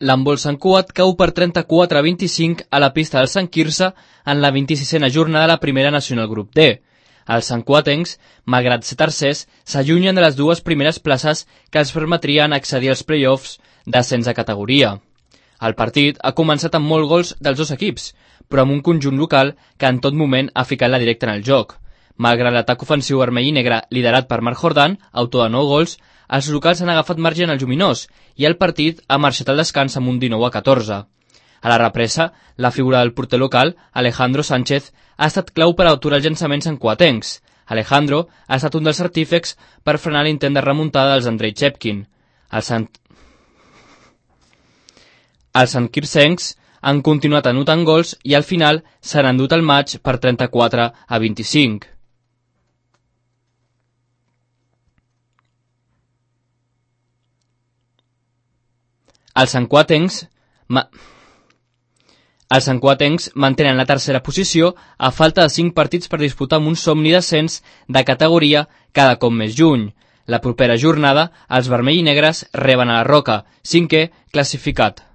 L'handbol Sant Cugat cau per 34-25 a la pista del Sant Quirze en la 26a jornada de la primera nacional grup D. Els santcuatencs, malgrat ser tercers, s'allunyen de les dues primeres places que els permetrien accedir als play-offs d'ascens de categoria. El partit ha començat amb molts gols dels dos equips, però amb un conjunt local que en tot moment ha ficat la directa en el joc. Malgrat l'atac ofensiu vermell i negre liderat per Marc Jordan, autor de 9 gols, els locals han agafat marge en el lluminós i el partit ha marxat al descans amb un 19-14. A la represa, la figura del porter local, Alejandro Sánchez, ha estat clau per aturar els llançaments santcuatencs. Alejandro ha estat un dels artífecs per frenar l'intent de remuntada dels Andrei Chepkin. Els santquircencs han continuat anotant gols i al final s'han endut el maig per 34-25. Els santcuatencs mantenen la tercera posició a falta de 5 partits per disputar amb un somni d'ascens de categoria cada cop més lluny. La propera jornada, els vermell i negres reben a la Roca, 5è classificat.